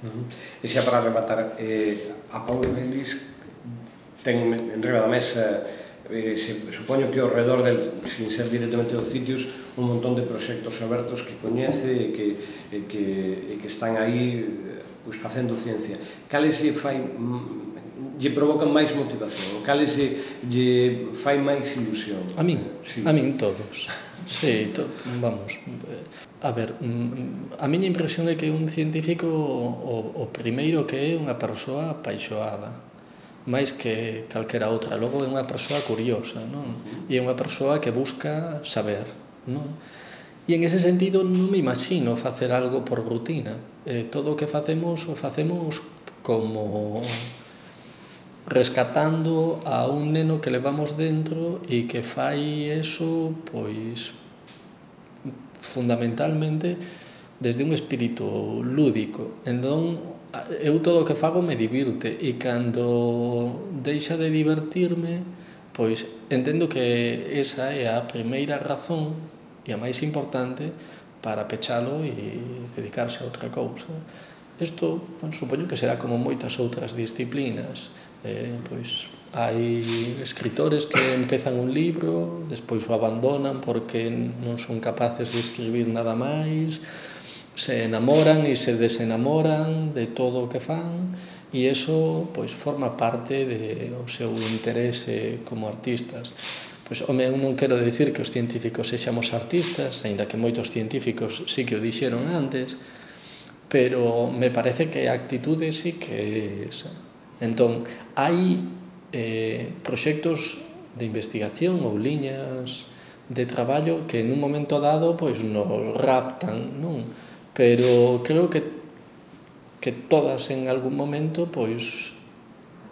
E xa para rematar, a Paulo Vélez ten enriba da mesa, supoño que ao redor del, sin ser directamente dos sitios, un montón de proxectos abertos que coñece e que están aí facendo ciencia. Cales lle provocan máis motivación? Cales lle fai máis ilusión? A min todos. Sí, vamos, a ver, a miña impresión é que un científico o primeiro que é unha persoa apaixoada, máis que calquera outra. Logo é unha persoa curiosa, non? E é unha persoa que busca saber, non? E en ese sentido non me imagino facer algo por rutina. Todo o que facemos o facemos como rescatando a un neno que levamos dentro e que fai eso, pois, fundamentalmente desde un espírito lúdico. Entón, eu todo o que fago me divirte e cando deixa de divertirme, pois entendo que esa é a primeira razón e a máis importante para pechalo e dedicarse a outra cousa. Isto, supoño que será como moitas outras disciplinas. Pois hai escritores que empezan un libro, despois o abandonan porque non son capaces de escribir nada máis, se enamoran e se desenamoran de todo o que fan, e iso pois forma parte do seu interese como artistas. Pois, home, eu non quero dicir que os científicos sexamos artistas, aínda que moitos científicos sí que o dixeron antes, pero me parece que a actitude sí que é esa. Entón, hai proxectos de investigación ou liñas de traballo que nun momento dado pois nos raptan, non? Pero creo que todas en algún momento pois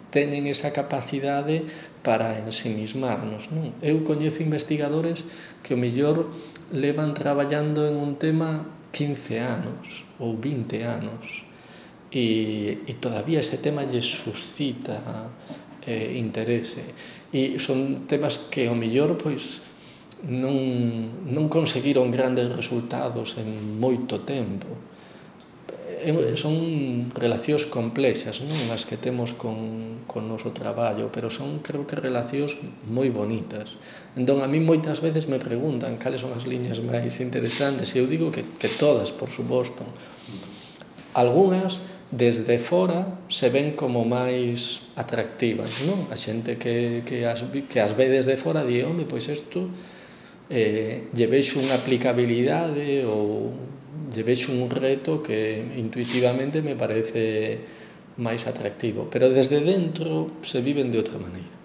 teñen esa capacidade para ensimismarnos, non? Eu coñezo investigadores que ao mellor levan traballando en un tema 15 anos ou 20 anos e todavía ese tema lles suscita interese, e son temas que ao mellor pois non conseguiron grandes resultados en moito tempo. Son relacións complexas, non, as que temos con o noso traballo, pero son, creo que, relacións moi bonitas. Entón, a mí moitas veces me preguntan cales son as liñas máis interesantes e eu digo que todas, por suposto. Algunhas desde fora se ven como máis atractivas, non? A xente que as ve desde fora di, home, pois isto lle vexo unha aplicabilidade ou lle vexo un reto que intuitivamente me parece máis atractivo, pero desde dentro se viven de outra maneira.